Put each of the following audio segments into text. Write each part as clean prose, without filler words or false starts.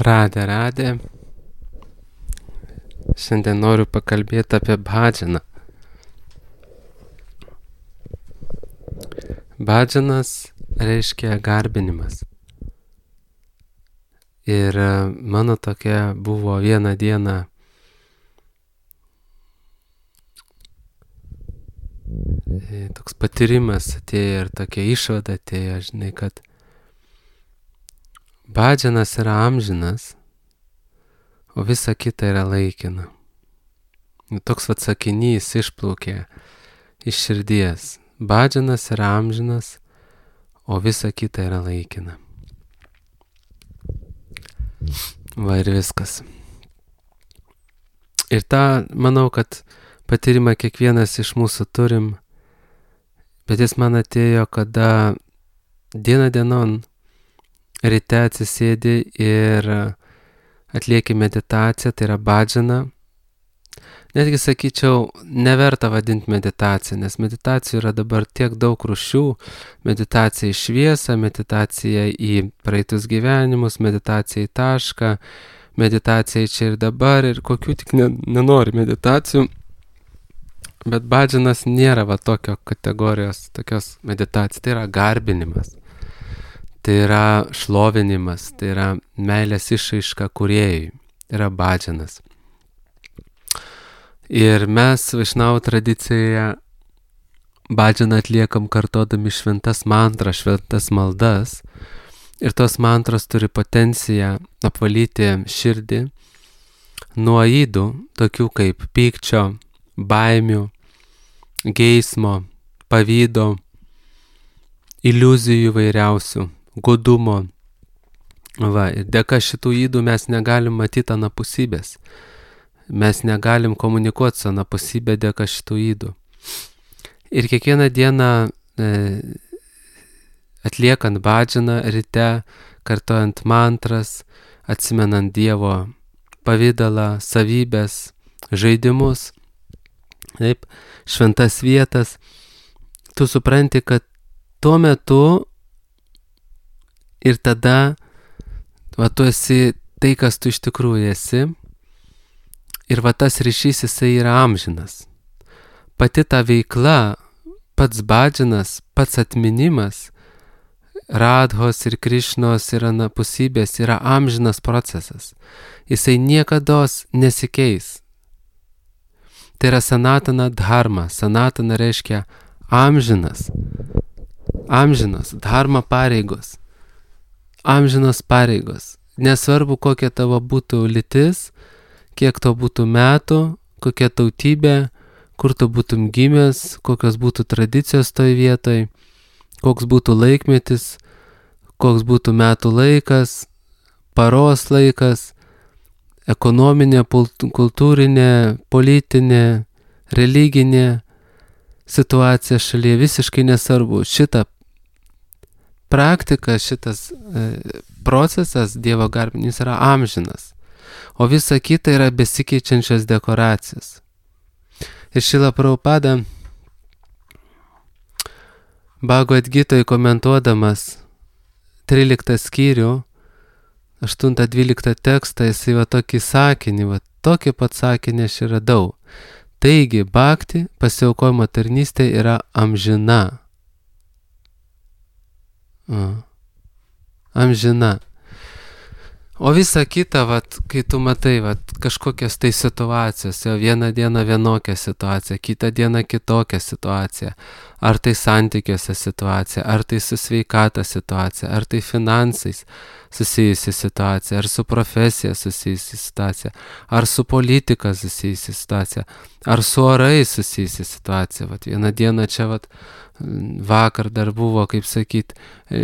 Radė. Šiandien noriu pakalbėti apie bhajaną. Bhajanas reiškia garbinimas. Ir mano tokia buvo vieną dieną toks patyrimas atėjo ir tokia išvada atėjo, žinai, kad bhajanas yra amžinas, o visa kita yra laikina. Toks sakinys išplaukė iš širdies. Bhajanas yra amžinas, o visa kita yra laikina. Va ir viskas. Ir tą, manau, kad patyrimą kiekvienas iš mūsų turim, bet jis man atėjo, kada diena dienon ryte atsisėdi ir atlieki meditaciją, tai yra bhajana. Netgi sakyčiau, neverta vadinti meditaciją, nes meditacijų yra dabar tiek daug rūšių. Meditacija į šviesą, meditacija į praeitus gyvenimus, meditacija į tašką, meditacija į čia ir dabar ir kokių tik nenori meditacijų. Bet bhajanas nėra tokio kategorijos, tokios meditacijos, tai yra garbinimas. Tai yra šlovinimas, tai yra meilės išraiška kūrėjui, tai yra bhajanas. Ir mes Vaišnavų tradicijoje bhajaną atliekam kartodami šventas mantras, šventas maldas. Ir tos mantros turi potenciją apvalyti širdį nuo ydų, tokių kaip pykčio, baimių, geismo, pavydo, iliuzijų vairiausių, godumo. Ir dėka šitų ydų mes negalim matyti anapusybės. Mes negalim komunikuoti su anapusybė dėka šitų ydų. Ir kiekvieną dieną atliekant bhajaną ryte, kartojant mantras, atsimenant Dievo pavidalą, savybės, žaidimus, taip, šventas vietas, tu supranti, kad tuo metu ir tada tu esi tai, kas tu iš tikrųjų esi. Ir tas ryšys jisai yra amžinas. Pati ta veikla, pats bhajanas, pats atminimas, Radhos ir Krišnos ir anapusybės yra amžinas procesas. Jisai niekados nesikeis. Tai yra sanatana dharma. Sanatana reiškia amžinas. Amžinos, dharma pareigos. Amžinos pareigos. Nesvarbu, kokia tavo būtų lytis, kiek to būtų metų, kokia tautybė, kur tu būtum gimęs, kokios būtų tradicijos toj vietoj, koks būtų laikmetis, koks būtų metų laikas, paros laikas, ekonominė, kultūrinė, politinė, religinė situacija šalyje, visiškai nesvarbu. Šita praktika, šitas procesas Dievo garbinimas yra amžinas. O visa kita yra besikeičiančios dekoracijos. Ir Šrila Prabhupada Bhagavad Gitoj komentuodamas 13 skyrių, 8-12 tekstą, jisai tokį sakinį, tokį pat sakinį aš ir radau. Taigi, bhakti, pasiaukojimo tarnystė yra amžina. Amžina. O visa kita, kai tu matai kažkokias tai situacijos, vieną dieną vienokią situaciją, kitą dieną kitokią situaciją, ar tai santykiuose situacija, ar tai su sveikata situacija, ar tai finansais susijusi situacija, ar su profesija susijusi situacija, ar su politika susijusi situacija, ar su orais susijusi situacija. Vieną dieną čia vakar dar buvo, kaip sakyt,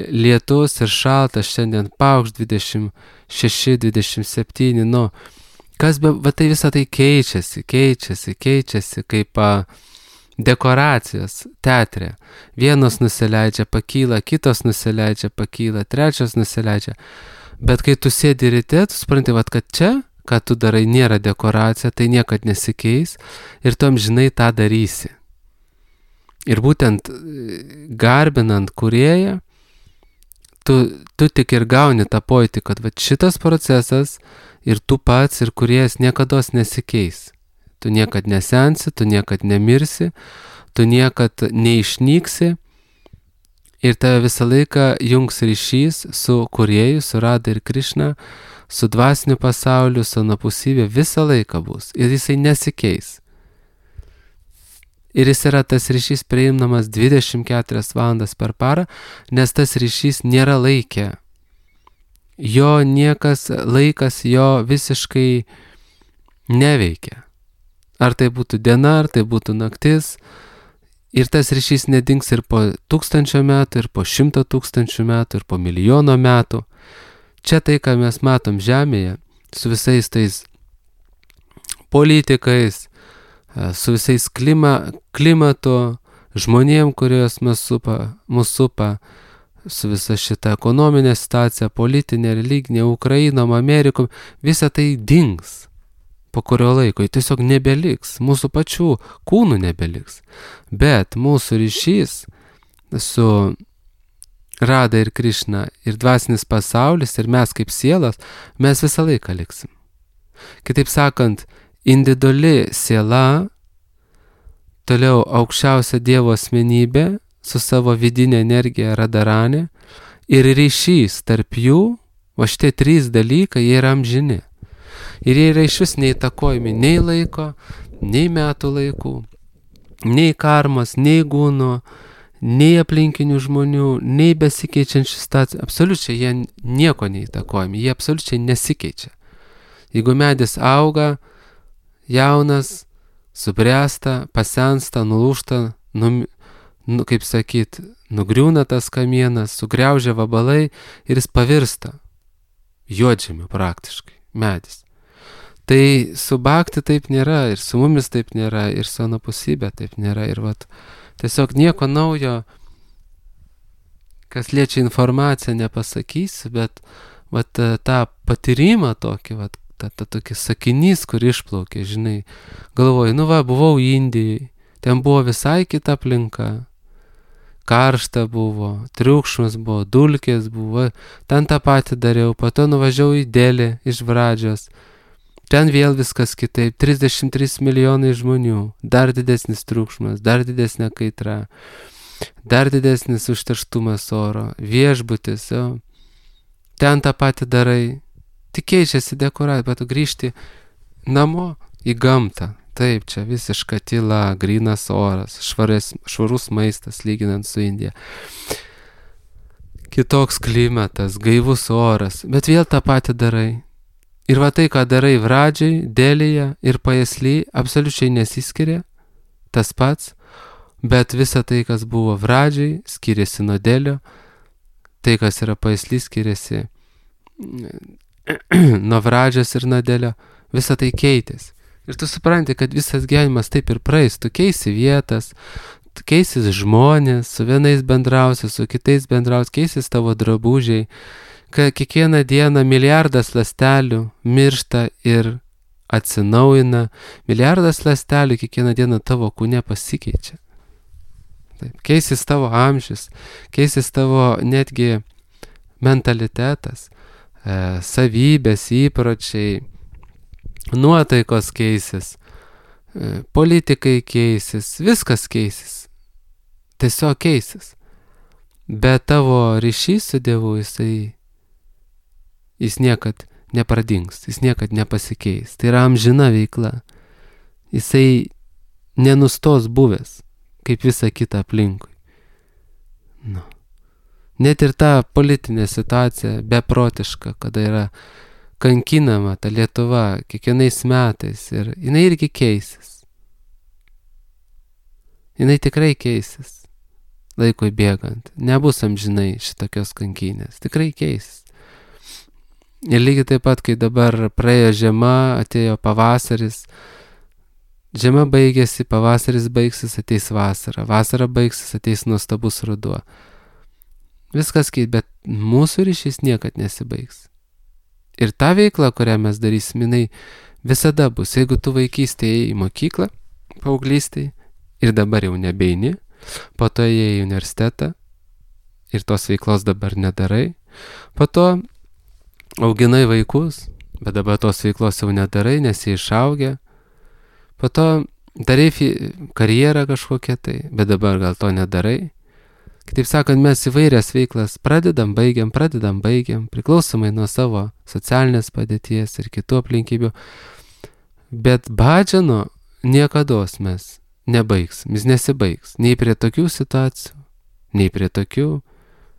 lietus ir šaltas, šiandien paukšt 26, 27, kas tai visą tai keičiasi, kaip dekoracijos teatre. Vienos nusileidžia, pakyla, kitos nusileidžia, pakyla, trečios nusileidžia. Bet kai tu sėdi ryte, tu supranti, kad čia, ką tu darai, nėra dekoracija, tai niekad nesikeis ir tu amžinai tą darysi. Ir būtent garbinant kūrėją, tu tik ir gauni tą pojūtį, kad va, šitas procesas ir tu pats ir kūrėjas niekados nesikeis. Tu niekad nesensi, tu niekad nemirsi, tu niekad neišnyksi ir tave visą laiką jungs ryšys su kūrėju, su Rada ir Krišna, su dvasiniu pasauliu, su anapusybė, visą laiką bus ir jisai nesikeis. Ir jis yra tas ryšys prieinamas 24 valandas per parą, nes tas ryšys nėra laikė. Jo niekas, laikas jo visiškai neveikia. Ar tai būtų diena, ar tai būtų naktis. Ir tas ryšys nedings ir po 1000 metų, ir po 100 000 metų, ir po 1 000 000 metų. Čia tai, ką mes matom Žemėje, su visais tais politikais, su visais klimatu, žmonėm, kurios mus supa, su visa šita ekonominė situacija, politinė, religinė, Ukrainom, Amerikom, visa tai dings po kurio laiko, tiesiog nebeliks, mūsų pačių kūnų nebeliks. Bet mūsų ryšys su Rada ir Krišna ir dvasinis pasaulis ir mes kaip sielas, mes visą laiką liksim. Kitaip sakant, individuali siela, toliau aukščiausia Dievo asmenybė su savo vidinė energija Radharani ir ryšys tarp jų, o šitie 3 dalykai, jie yra amžini. Ir jie yra išvis neįtakojami nei laiko, nei metų laikų, nei karmos, nei gūno, nei aplinkinių žmonių, nei besikeičiančių situacijų. Absoliučiai jie nieko neįtakojami, jie absoliučiai nesikeičia. Jeigu medis auga, jaunas, subręsta, pasensta, nulūžta, kaip sakyt, nugriūna tas kamienas, sugriaužia vabalai ir jis pavirsta juodžemiu praktiškai, medis. Tai su bhakti taip nėra, ir su mumis taip nėra, ir su anapusybė taip nėra. Ir vat, tiesiog nieko naujo, kas liečia informaciją, nepasakysiu, bet vat, tą patyrimą tokį, vat, tokį sakinys, kur išplaukė, žinai, galvoju, buvau Indijai, ten buvo visai kita aplinka, karšta buvo, triukšmas buvo, dulkės buvo, ten tą patį dariau, po to nuvažiavau į Delį iš Vradžios, ten vėl viskas kitaip, 33 milijonai žmonių, dar didesnis triukšmas, dar didesnė kaitra, dar didesnis užterštumas oro, viešbutis, jo. Ten tą patį darai, tik keičiasi dekoracija, bet tu grįžti namo į gamtą. Taip, čia visiška tyla, grynas oras, švarus maistas, lyginant su Indija. Kitoks klimatas, gaivus oras, bet vėl tą patį darai. Ir va tai, ką darai Vradžiai, Delyje ir Pajasly, absoliučiai nesiskiria, tas pats, bet visa tai, kas buvo Vradžiai, skiriasi nuo Delio, tai, kas yra Pajasly, skiriasi nuo Vradžios ir nuo Delio, visa tai keitėsi. Ir tu supranti, kad visas gyvenimas taip ir praeis, tu keisi vietas, tu keisis žmonės, su vienais bendrausi, su kitais bendrausi, keisis tavo drabužiai, kad kiekvieną dieną milijardas ląstelių miršta ir atsinaujina, milijardas ląstelių kiekvieną dieną tavo kūne pasikeičia. Taip, keisis tavo amžius, keisis tavo netgi mentalitetas, savybės, įpročiai, nuotaikos keisis, politikai keisis, viskas keisis, tiesiog keisis. Bet tavo ryšys su Dievu, jis niekad nepradings, jis niekad nepasikeis. Tai yra amžina veikla. Jisai nenustos buvęs, kaip visa kita aplinkui. Nu. Net ir ta politinė situacija beprotiška, kada yra kankinama ta Lietuva kiekvienais metais ir jinai irgi keisis. Jinai tikrai keisis laikui bėgant. Nebus amžinai šitokios kankinės. Tikrai keisis. Ir lygiai taip pat, kai dabar praėjo žiema, atėjo pavasaris, žiema baigėsi, pavasaris baigsis, ateis vasara, vasara baigsis, ateis nuostabus ruduo. Viskas keit, bet mūsų ryšys niekad nesibaigs. Ir ta veikla, kurią mes darysim, jinai visada bus. Jeigu tu vaikystėje į mokyklą, paauglystėje, ir dabar jau nebeini, po to ėjai į universitetą, ir tos veiklos dabar nedarai. Po to auginai vaikus, bet dabar tos veiklos jau nedarai, nes jie išaugę. Po to darai karjerą kažkokią tai, bet dabar gal to nedarai. Kitaip sakant, mes įvairias veiklas pradedam, baigiam, priklausomai nuo savo socialinės padėties ir kitų aplinkybių. Bet bhajano niekados mes nebaigsim, jis nesibaigs. Nei prie tokių situacijų, nei prie tokių.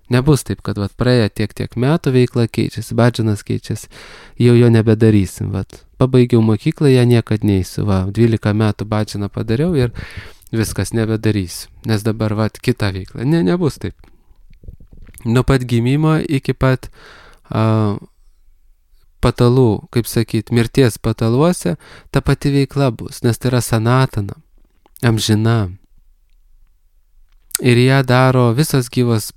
Nebus taip, kad praėję tiek metų veikla keičiasi, bhajanas keičiasi, jau jo nebedarysim. Pabaigiau mokyklą, ją niekad neįsiu. 12 metų bhajaną padariau ir viskas nebedarysiu, nes dabar kita veikla. Nebus taip. Nuo pat gimimo iki pat patalų, kaip sakyt, mirties pataluose, ta pati veikla bus, nes tai yra sanatana, amžina. Ir ją daro visos gyvos,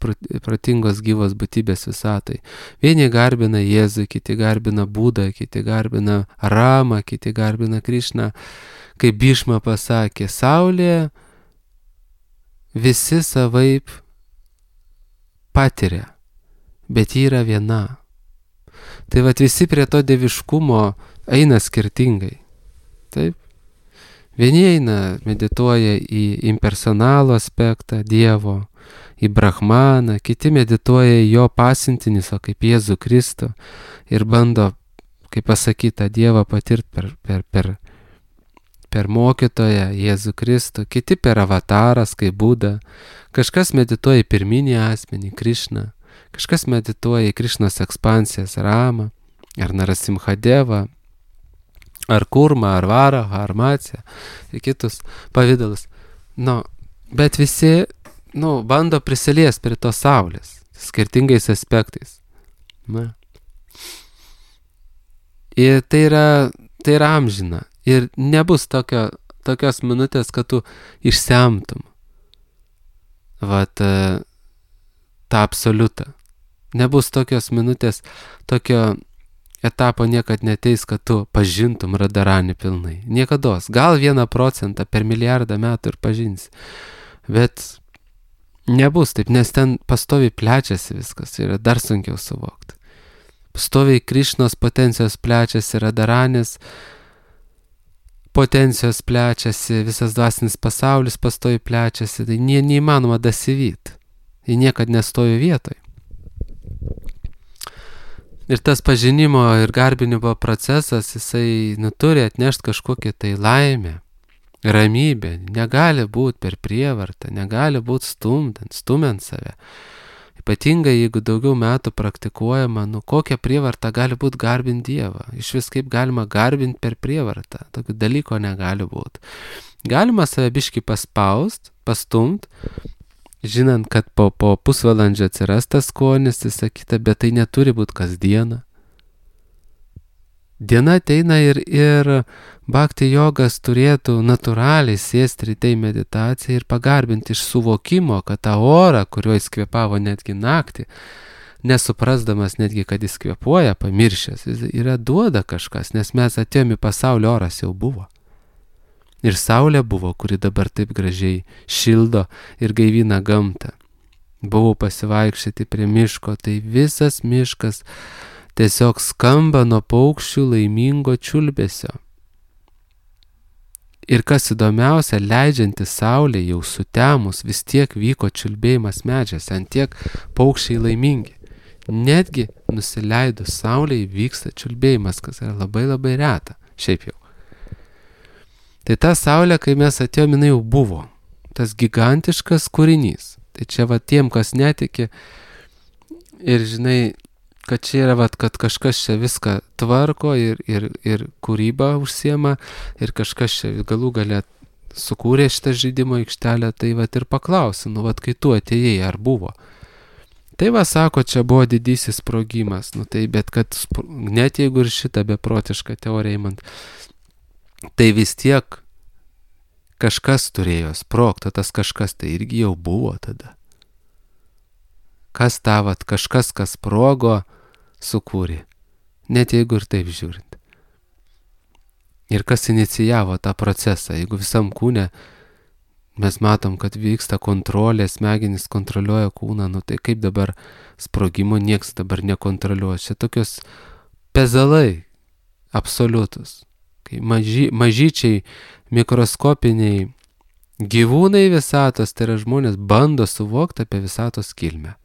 protingos gyvos būtybės visatai. Vieni garbina Jėzų, kiti garbina Budą, kiti garbina Ramą, kiti garbina Krišną. Kaip Bhishma pasakė, saulė visi savaip patiria, bet ji yra viena. Tai visi prie to dieviškumo eina skirtingai. Taip? Vieni eina, medituoja į impersonalų aspektą Dievo, į Brahmaną, kiti medituoja į jo pasiuntinį, kaip Jėzų Kristų ir bando, kaip pasakyta, Dievą patirti per mokytoją Jėzų Kristų, kiti per avataras, kaip Buda, kažkas medituoja į pirminį asmenį, Krišną, kažkas medituoja į Krišnos ekspansijas, Ramą, ar Narasimhadevą, ar Kurmą, ar Varaha, ar Matsę, ir kitus pavydalus. Bet visi, bando prisiliesti prie tos saulės, skirtingais aspektais. Ir tai yra amžina. Ir nebus tokios minutės, kad tu išsemtum tą absoliutą. Nebus tokios minutės, tokio etapo niekad neteis, kad tu pažintum Radharanį pilnai. Niekados. Gal 1% per milijardą metų ir pažinsi. Bet nebus taip, nes ten pastoviai plečiasi viskas. Yra dar sunkiau suvokti. Pastoviai Krišnos potencijos plečiasi, Radharanės potencijos plečiasi, visas dvasinis pasaulis pastoviai plečiasi. Tai neįmanoma dasivyti. Jie niekad nestovi vietoj. Ir tas pažinimo ir garbinimo procesas, jisai turi atnešti kažkokią tai laimę, ramybę. Negali būti per prievartą, negali būti stumiant save. Ypatingai, jeigu daugiau metų praktikuojama, kokia prievarta gali būti garbinti Dievą. Iš vis kaip galima garbinti per prievartą. Tokio dalyko negali būti. Galima save biškį paspaust, pastumt, žinant, kad po pusvalandžio atsiras tas skonis, visa kita, bet tai neturi būti kasdieną. Diena ateina ir bhakti jogas turėtų natūraliai sėsti ryte į meditaciją ir pagarbinti iš suvokimo, kad tą orą, kuriuo jis kvėpavo netgi naktį, nesuprasdamas netgi, kad jis kvėpuoja, pamiršęs, jis yra duoda kažkas, nes mes atėjome į pasaulio, oras jau buvo. Ir saulė buvo, kuri dabar taip gražiai šildo ir gaivina gamtą. Buvau pasivaikščioti prie miško, tai visas miškas tiesiog skamba nuo paukščių laimingo čiulbesio. Ir kas įdomiausia, leidžiantis saulė jau sutemus, vis tiek vyko čiulbėjimas medžiuose, ant tiek paukščiai laimingi. Netgi nusileidus saulei vyksta čiulbėjimas, kas yra labai labai reta, šiaip jau. Tai ta saulė, kai mes atėjome, jinai jau buvo. Tas gigantiškas kūrinys. Tai čia tiem, kas netiki ir žinai, kad čia yra, kad kažkas čia viską tvarko ir kūrybą užsiema ir kažkas čia galų gale sukūrė šitą žaidimo aikštelę, tai ir paklausi, kai tu atėjai, ar buvo. Tai sako, čia buvo didysis sprogimas. Tai bet kad net jeigu ir šitą beprotišką teoriją įmant, tai vis tiek kažkas turėjo sprogti, tas kažkas tai irgi jau buvo tada. Kas kažkas, kas sprogo, sukūrė. Net jeigu ir taip žiūrint. Ir kas inicijavo tą procesą, jeigu visam kūne Mes matom, kad vyksta kontrolė, smegenys kontroliuoja kūną, nu tai kaip dabar sprogimo nieks dabar nekontroliuoja. Čia tokios pezalai absoliutus. Kai mažyčiai mikroskopiniai gyvūnai visatos, tai yra žmonės bando suvokti apie visatos kilmę.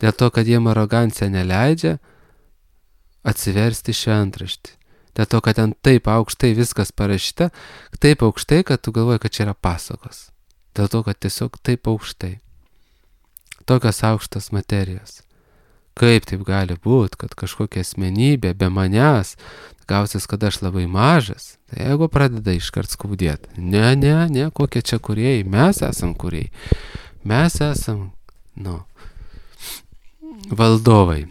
Dėl to, kad jiem arogancija neleidžia atsiversti šventraštį. Dėl to, kad ten taip aukštai viskas parašyta, taip aukštai, kad tu galvoji, kad čia yra pasakos. Dėl to, kad tiesiog taip aukštai. Tokios aukštos materijos. Kaip taip gali būti, kad kažkokia asmenybė be manęs gausis, kad aš labai mažas, tai jeigu pradeda iškart skaudėti. Ne, kokie čia kūrėjai, mes esam kūrėjai. Mes esam, valdovai.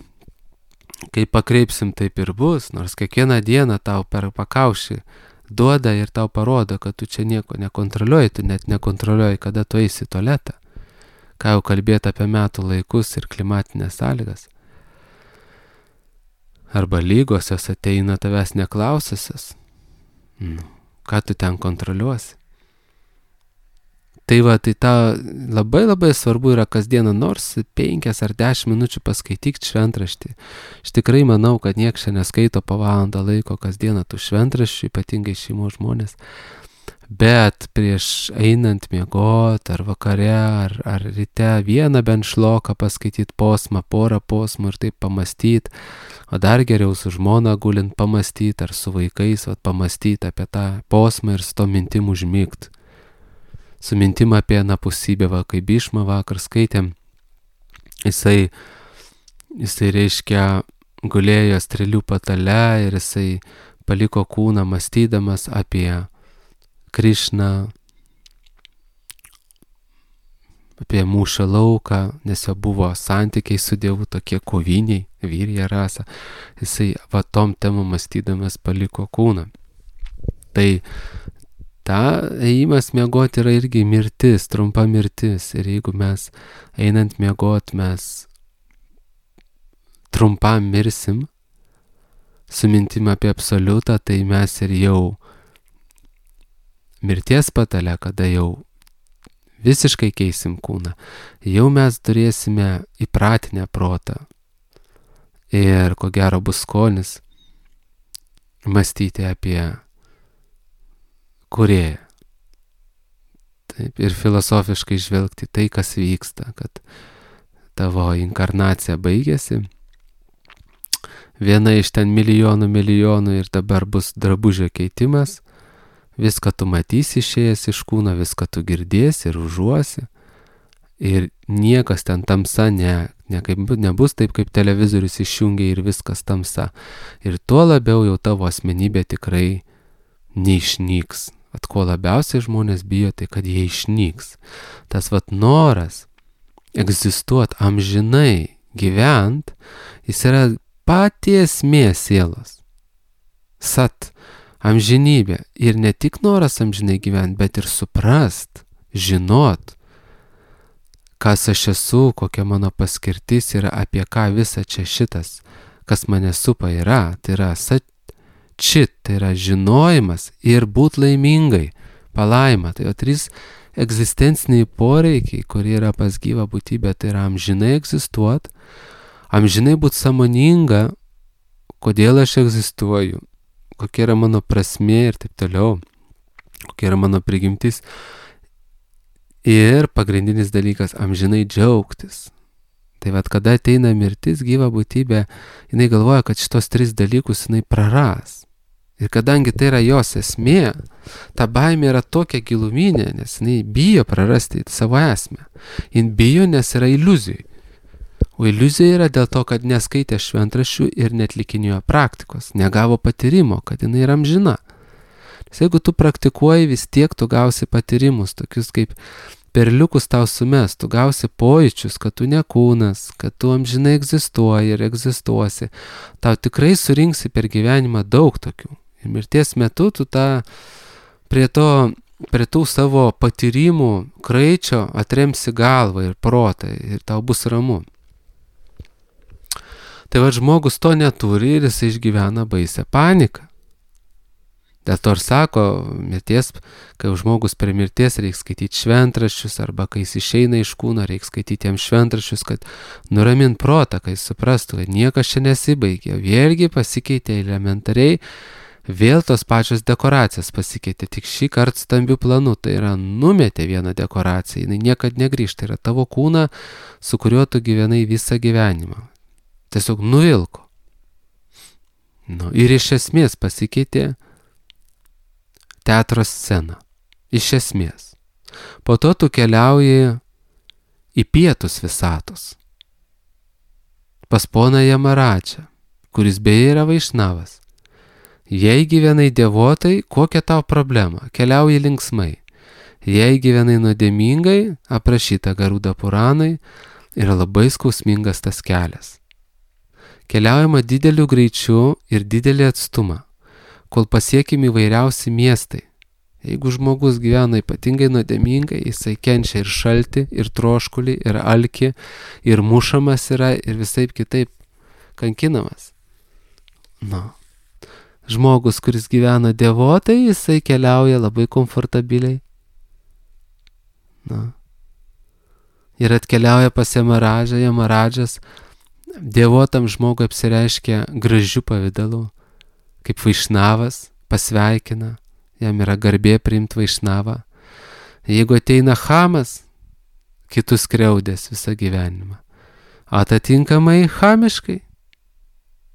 Kai pakreipsim, taip ir bus, nors kiekvieną dieną tau per pakaušį duoda ir tau parodo, kad tu čia nieko nekontroliuoji, tu net nekontroliuoji, kada tu eisi į tualetą. Ką jau kalbėti apie metų laikus ir klimatinės sąlygas. Arba lygos, jos ateina tavęs neklausiasios. Ką tu ten kontroliuosi? Tai va, tai ta labai svarbu yra kasdieną nors 5 ar 10 minučių paskaityti šventraštį. Aš tikrai manau, kad nieks čia neskaito po valandą laiko kasdieną tų šventraščių, ypatingai šeimos žmonės. Bet prieš einant miegot, ar vakare, ar ryte vieną bent šloką paskaityti posmą, porą posmų ir taip pamastyti, o dar geriau su žmona gulint pamastyti, ar su vaikais pamastyti apie tą posmą ir su to mintim užmigti. Su mintim apie anapusybę, kaip Bišma vakar skaitėm, jisai reiškia gulėjo strėlių patale ir jisai paliko kūną mąstydamas apie Krišną, apie mūšio lauką, nes jo buvo santykiai su Dievu tokie koviniai, vyrija rasa. Jisai tom temom mąstydamas paliko kūną. Tai ta ėjimas miegoti yra irgi mirtis, trumpa mirtis. Ir jeigu mes einant miegoti, mes trumpam mirsim, su mintim apie absoliutą, tai mes ir jau mirties patale, kada jau visiškai keisim kūną, jau mes turėsime įpratinę protą. Ir ko gero bus skonis mąstyti apie kūrėją. Taip, ir filosofiškai žvelgti tai, kas vyksta, kad tavo inkarnacija baigėsi. Viena iš ten milijonų ir dabar bus drabužio keitimas. Viską tu matysi išėjęs iš kūno, viską tu girdėsi ir užuosi. Ir niekas ten tamsa nebus taip, kaip televizorius išjungia ir viskas tamsa. Ir tuo labiau jau tavo asmenybė tikrai neišnyks. Ko labiausiai žmonės bijo, tai kad jie išnyks. Tas noras egzistuoti amžinai, gyvent, jis yra pati esmė sielos. Sat. Amžinybė. Ir ne tik noras amžinai gyventi, bet ir suprast, žinot, kas aš esu, kokia mano paskirtis yra, apie ką visa čia šitas, kas mane supa yra. Tai yra satčit, tai yra žinojimas ir būt laimingai, palaima. Tai yra 3 egzistenciniai poreikiai, kurie yra pas gyvą būtybę. Tai yra amžinai egzistuot, amžinai būt sąmoninga, kodėl aš egzistuoju, kokia yra mano prasmė ir taip toliau, kokia yra mano prigimtis. Ir pagrindinis dalykas - amžinai džiaugtis. Tai kada ateina mirtis, gyva būtybė, jinai galvoja, kad šitos 3 dalykus jinai praras. Ir kadangi tai yra jos esmė, ta baimė yra tokia giluminė, nes jinai bijo prarasti savo esmę. Jin bijo, nes yra iliuzijai. O iliuzija yra dėl to, kad neskaitė šventraščių ir netlikinėjo praktikos, negavo patyrimo, kad jinai yra amžina. Nes jeigu tu praktikuoji, vis tiek tu gausi patyrimus, tokius kaip perliukus tau sumes, tu gausi pojūčius, kad tu ne kūnas, kad tu amžinai egzistuoji ir egzistuosi. Tau tikrai surinksi per gyvenimą daug tokių. Ir mirties metu tu prie tų savo patyrimų kraičio atremsi galvą ir protą ir tau bus ramu. Tai žmogus to neturi ir jis išgyvena baisę paniką. Dėl to ir sako, mirties, kai žmogus prie mirties reikia skaityti šventraščius, arba kai jis išeina iš kūno, reikia skaityti jam šventraščius, kad nuramint protą, kai jis suprastų, kad niekas čia nesibaigė. Vėlgi pasikeitė elementariai, vėl tos pačios dekoracijas pasikeitė, tik šį kartą stambių planų, tai yra numetė vieną dekoraciją, jinai niekad negrįžta, tai yra tavo kūną, su kuriuo tu gyvenai visą gyvenimą. Tiesiog nuvilko. Ir iš esmės pasikeitė teatro scena. Iš esmės. Po to tu keliauji į pietus visatos. Pas poną Jamaradžą, kuris beje yra Vaišnavas. Jei gyvenai dievotai, kokia tau problema? Keliauji linksmai. Jei gyvenai nuodėmingai, aprašyta Garuda Puranai, yra labai skausmingas tas kelias. Keliaujama dideliu greičiu ir didelį atstumą, kol pasiekimi įvairiausi miestai. Jeigu žmogus gyvena ypatingai nuodėmingai, jisai kenčia ir šaltį, ir troškulį, ir alkį, ir mušamas yra, ir visaip kitaip kankinamas. Žmogus, kuris gyvena dievotai, jisai keliauja labai komfortabiliai. Ir atkeliauja pas Jamaradžą, Jamaradžas dievotam žmogui apsireiškia gražiu pavidalu, kaip Vaišnavas, pasveikina, jam yra garbė priimti Vaišnavą. Jeigu ateina chamas, kitus skriaudės visą gyvenimą. Atitinkamai chamiškai,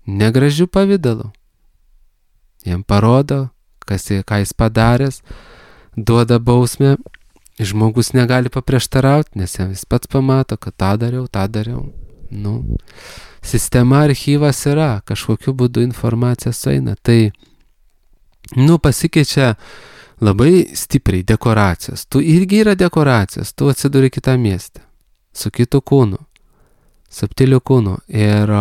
negražiu pavidalu. Jam parodo, ką jis padaręs, duoda bausmę, žmogus negali paprieštarauti, nes jis pats pamato, kad tą dariau. Sistema, archyvas yra, kažkokiu būdu informacija sueina. Tai, pasikeičia labai stipriai dekoracijos. Tu irgi yra dekoracijos, tu atsiduri kitą miestą, su kitu kūnu, subtiliu kūnu ir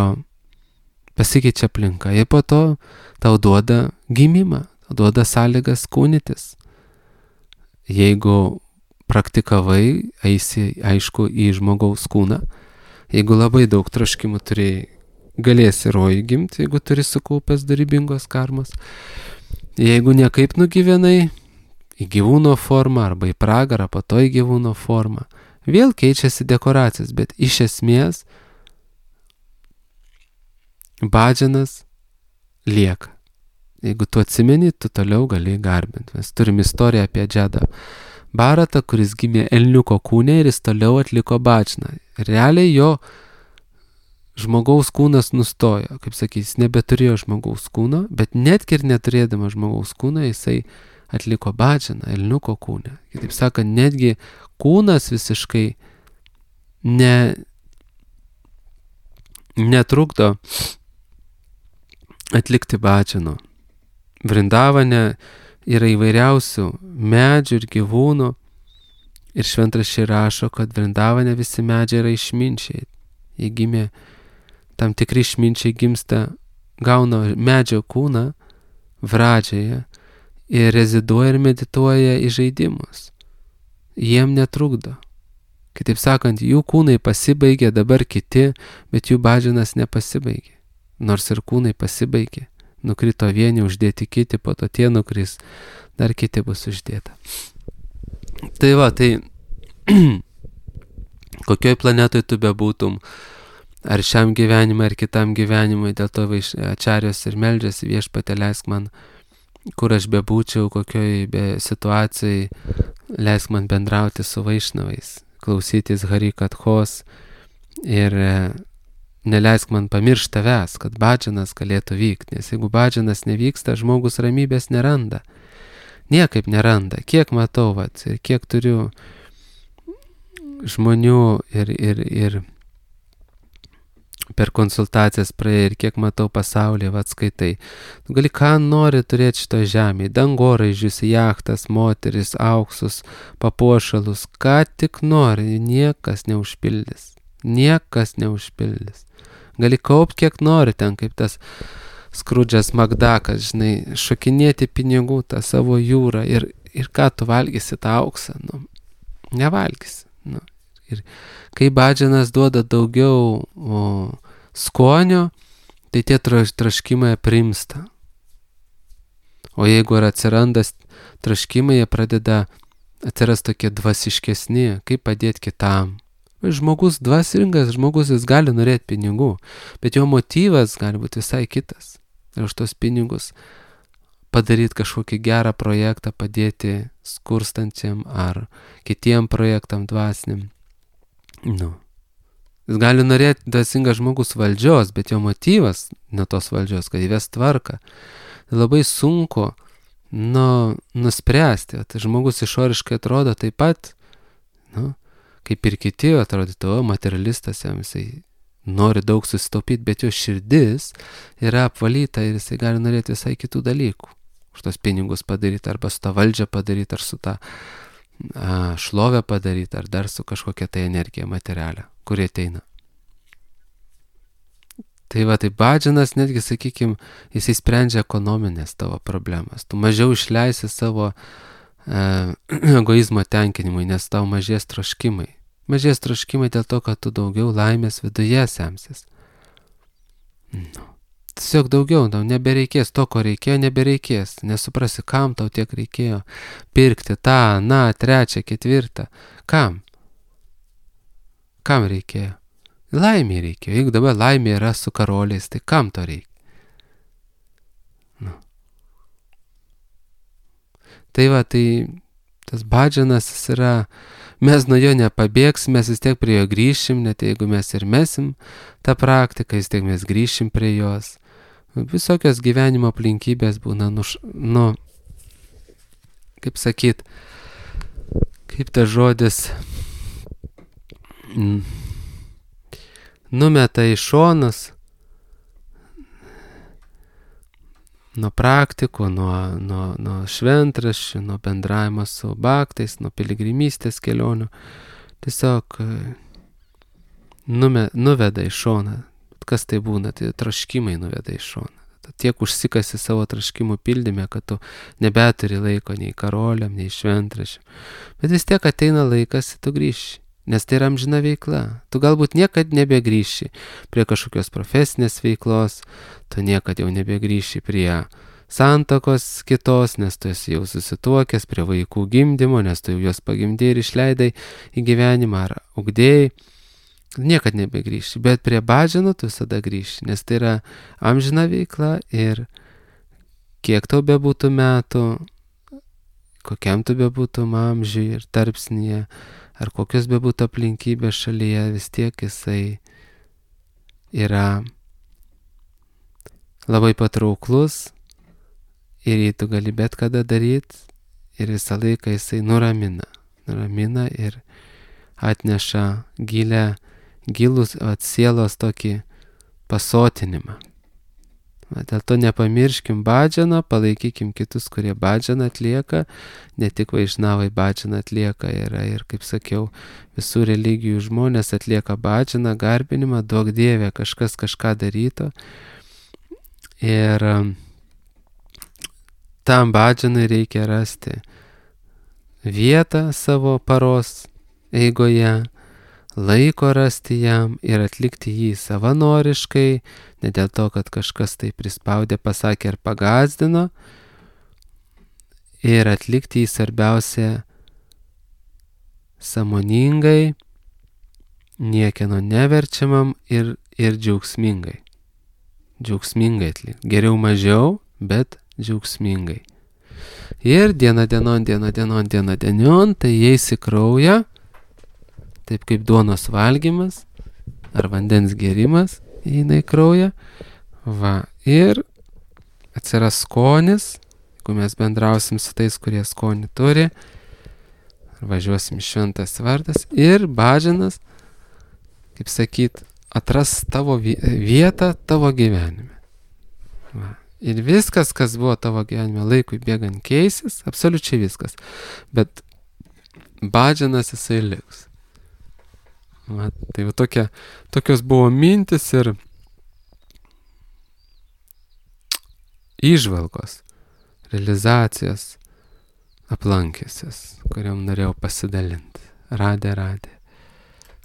pasikeičia aplinka. Ir po to tau duoda gimimą, duoda sąlygas kūnytis. Jeigu praktikavai, eisi, aišku, į žmogaus kūną. Jeigu labai daug troškimų turėjai, galėsi rojų gimti, jeigu turi sukaupęs dorybingos karmos. Jeigu niekaip nugyvenai, į gyvūno formą arba į pragarą, po to į gyvūno formą. Vėl keičiasi dekoracijas, bet iš esmės bhadžanas lieka. Jeigu tu atsimeni, tu toliau gali garbinti. Mes turim istoriją apie Džedą Bharatą, kuris gimė elniuko kūne ir jis toliau atliko bhadžaną. Realiai jo žmogaus kūnas nustojo, kaip sakys, nebeturėjo žmogaus kūno, bet netgi ir neturėdama žmogaus kūno, jisai atliko bhadžaną elniuko kūne. Kitaip sakant, netgi kūnas visiškai netrukdo atlikti bhadžano. Vrindavane yra įvairiausių medžių ir gyvūnų ir šventraščiai rašo, kad Vrindavane visi medžiai yra išminčiai. Jie gimė, tam tikri išminčiai gimsta, gauna medžio kūną vradžioje ir reziduoja ir medituoja į žaidimus. Jiem netrukdo. Kitaip sakant, jų kūnai pasibaigė, dabar kiti, bet jų bhadžanas nepasibaigė. Nors ir kūnai pasibaigė. Nukrito vieni, uždėti kiti, po to tie nukris, dar kiti bus uždėta. Tai kokioj planetoj tu bebūtum, ar šiam gyvenimui, ar kitam gyvenimui, dėl to ačarijos ir meldžiasi, Viešpatie leisk man, kur aš bebūčiau, kokioj situacijai, leisk man bendrauti su vaišnavais, klausytis Harikathos ir neleisk man pamiršti tavęs, kad bhadžanas galėtų vykti, nes jeigu bhadžanas nevyksta, žmogus ramybės neranda. Niekaip neranda. Kiek matau, ir kiek turiu žmonių ir per konsultacijas praėjai, ir kiek matau pasaulyje, skaitai. Tu gali ką nori turėti šitoje žemėje, dangoraižius, jachtas, moteris, auksus, papuošalus, ką tik nori, niekas neužpildys. Niekas neužpildys. Gali kaupti kiek nori ten, kaip tas Skrudžas Makdakas, šokinėti pinigų, tą savo jūrą ir ką tu valgysi tą auksą? Nevalgysi. Ir kai bhadžanas duoda daugiau skonio, tai tie troškimai aprimsta. O jeigu ir atsiranda troškimai, jie pradeda atsiras tokie dvasiškesni, kaip padėti kitam. Žmogus dvasingas, žmogus jis gali norėti pinigų, bet jo motyvas gali būti visai kitas. Ir už tos pinigus padaryti kažkokį gerą projektą, padėti skurstančiam ar kitiem projektam dvasiniam. Jis gali norėti dvasingas žmogus valdžios, bet jo motyvas ne tos valdžios, kad įves tvarką. Labai sunku nuspręsti. Tai žmogus išoriškai atrodo taip pat, kaip ir kiti atrodytų, materialistas, jam jisai nori daug susitaupyti, bet jo širdis yra apvalyta ir jisai gali norėti visai kitų dalykų. Už tos pinigus padaryti, arba su tą valdžią padaryti, ar su tą šlovę padaryti, ar dar su kažkokia tai energija materialia, kuri ateina. Tai va, tai badžinas netgi, sakykime, jisai sprendžia ekonominės tavo problemas. Tu mažiau išleisi savo egoizmo tenkinimui, nes tau mažės troškimai. Mažės troškimai dėl to, kad tu daugiau laimės viduje semsis. Tiesiog daugiau, tau nebereikės to, ko reikėjo, nebereikės. Nesuprasi, kam tau tiek reikėjo pirkti tą, trečią, ketvirtą. Kam? Kam reikėjo? Laimė reikėjo. Jeigu dabar laimė yra su karoliais, tai kam to reikia? Tai va, tai tas badžianas yra, mes nuo jo nepabėgsim, mes vis tiek prie jo grįšim, net jeigu mes ir mesim tą praktiką, vis tiek mes grįšim prie jos. Visokios gyvenimo aplinkybės būna, kaip sakyt, kaip tas žodis, numeta į šonus nuo praktikų, nuo šventraščių, nuo bendravimo su baktais, nuo piligrimystės kelionių. Tiesiog nuveda į šoną. Kas tai būna? Tai troškimai nuveda į šoną. Tiek užsikasi savo troškimų pildyme, kad tu nebeturi laiko nei karoliam, nei šventraščiam. Bet vis tiek ateina laikas ir tu grįši. Nes tai yra amžina veikla. Tu galbūt niekad nebegrįši prie kažkokios profesinės veiklos, tu niekad jau nebegrįši prie santuokos kitos, nes tu esi jau susituokęs, prie vaikų gimdymo, nes tu jau juos pagimdėjai ir išleidai į gyvenimą ar ugdėjai. Niekad nebegrįši, bet prie badžino tu visada grįši, nes tai yra amžina veikla ir kiek tau bebūtų metų, kokiam tu bebūtum amžiui ir tarpsnyje, ar kokios bebūtų aplinkybės šalyje, vis tiek jisai yra labai patrauklus ir jį tu gali bet kada daryti ir visą laiką jisai nuramina ir atneša gilus sielos tokį pasotinimą. Dėl to nepamirškim badžiano, palaikykim kitus, kurie badžianą atlieka, ne tik vaišnavai badžianą atlieka, yra ir, kaip sakiau, visų religijų žmonės atlieka badžianą, garbinimą, duok Dieve, kažkas kažką daryto. Ir tam badžianui reikia rasti vietą savo paros eigoje, laiko rasti jam ir atlikti jį savanoriškai, ne dėl to, kad kažkas tai prispaudė, pasakė ar pagazdino, ir atlikti jį svarbiausia sąmoningai, niekieno neverčiamam ir džiaugsmingai. Džiaugsmingai atlikti. Geriau mažiau, bet džiaugsmingai. Ir diena dienon, tai įeis į kraują, taip kaip duonos valgymas ar vandens gėrimas įeina į kraują. Ir atsiras skonis, jeigu mes bendrausim su tais, kurie skonį turi, važiuosim šventas vardas ir badžianas, kaip sakyt, atras tavo vietą tavo gyvenime. Ir viskas, kas buvo tavo gyvenime laikui bėgant keisis, absoliučiai viskas. Bet badžianas jisai liks. Tai va tokios buvo mintis ir įžvalgos, realizacijos aplankysios, kuriam norėjau pasidalinti. Radė.